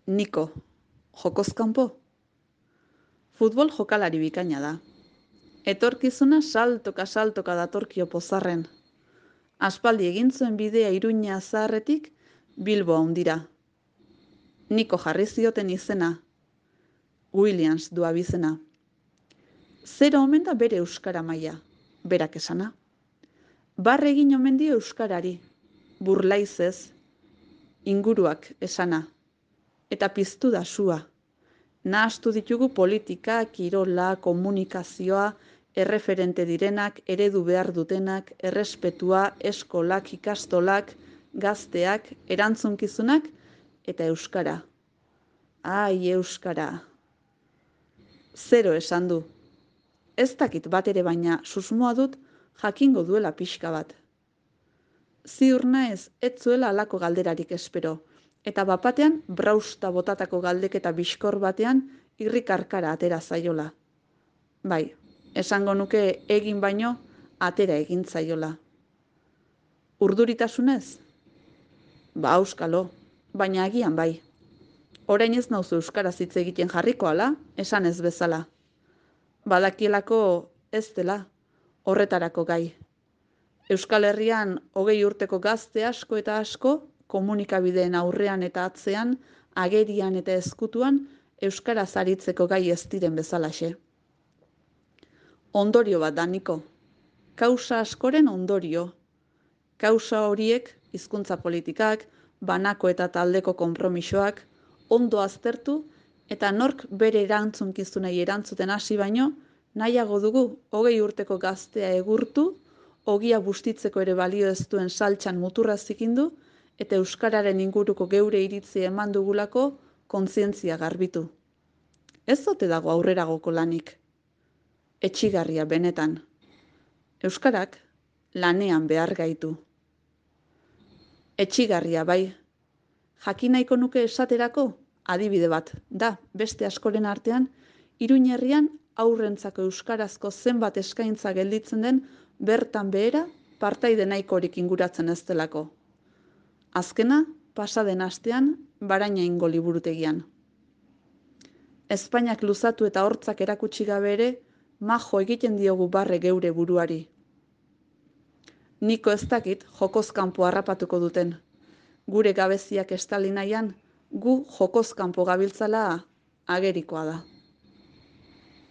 Niko, jokoz kanpo? Futbol jokalari bikaina da. Etorkizuna saltoka datorkio pozarren. Aspaldi egin zuen bidea Iruña zaharretik Bilbo handira. Niko jarri zioten izena. Williams du abizena. Zero omen da bere euskara maila, berak esana. Barre egin omen dio euskarari, burlaizez, inguruak esana. Eta piztu da sua. Nahastu ditugu politika, kirola, komunikazioa, erreferente direnak, eredu behar dutenak, errespetua, eskolak, ikastolak, gazteak, erantzunkizunak eta euskara. Ai, euskara. Zero esan du. Ez dakit bat ere baina susmoa dut jakingo duela pixka bat. Ziur naiz ez zuela halako galderarik espero, eta bapatean brausta botatako galdeketa bizkor batean irrikarkara atera zaiola. Bai, esango nuke egin baino atera egin zaiola. Urduritasunez? Ba, auskalo, baina agian bai. Orain ez nauzu euskaraz hitz egiten jarriko ala, esan ez bezala. Badakielako ez dela, horretarako gai. Euskal Herrian 20 urteko gazte asko eta asko, komunikabideen aurrean eta atzean, agerian eta ezkutuan, euskaraz aritzeko gai ez diren bezalaxe. Ondorio bat da, Niko. Kausa askoren ondorio. Kausa horiek, hizkuntza politikak, banako eta taldeko konpromisoak, ondo aztertu eta nork bere erantzunkizunei erantzuten hasi baino, nahiago dugu 20 urteko gaztea egurtu, ogia bustitzeko ere balio ez duen saltxan muturra zikindu, eta euskararen inguruko geure iritzi eman dugulako kontzientzia garbitu. Ez ote dago aurreragoko lanik. Etsigarria benetan. Euskarak lanean behar gaitu. Etsigarria bai. Jakin nahiko nuke esaterako, adibide bat, da, beste askoren artean, Iruña herrian aurrentzako euskarazko zenbat eskaintza gelditzen den bertan behera partaide nahikorik inguratzen ez delako. Azkena, pasaden astean, Barainaingo liburutegian. Espainiak luzatu eta hortzak erakutsi gabe ere, majo egiten diogu barre geure buruari. Niko ez dakit jokoz kanpo harrapatuko duten. Gure gabeziak estali nahian, gu jokoz kanpo gabiltzala agerikoa da.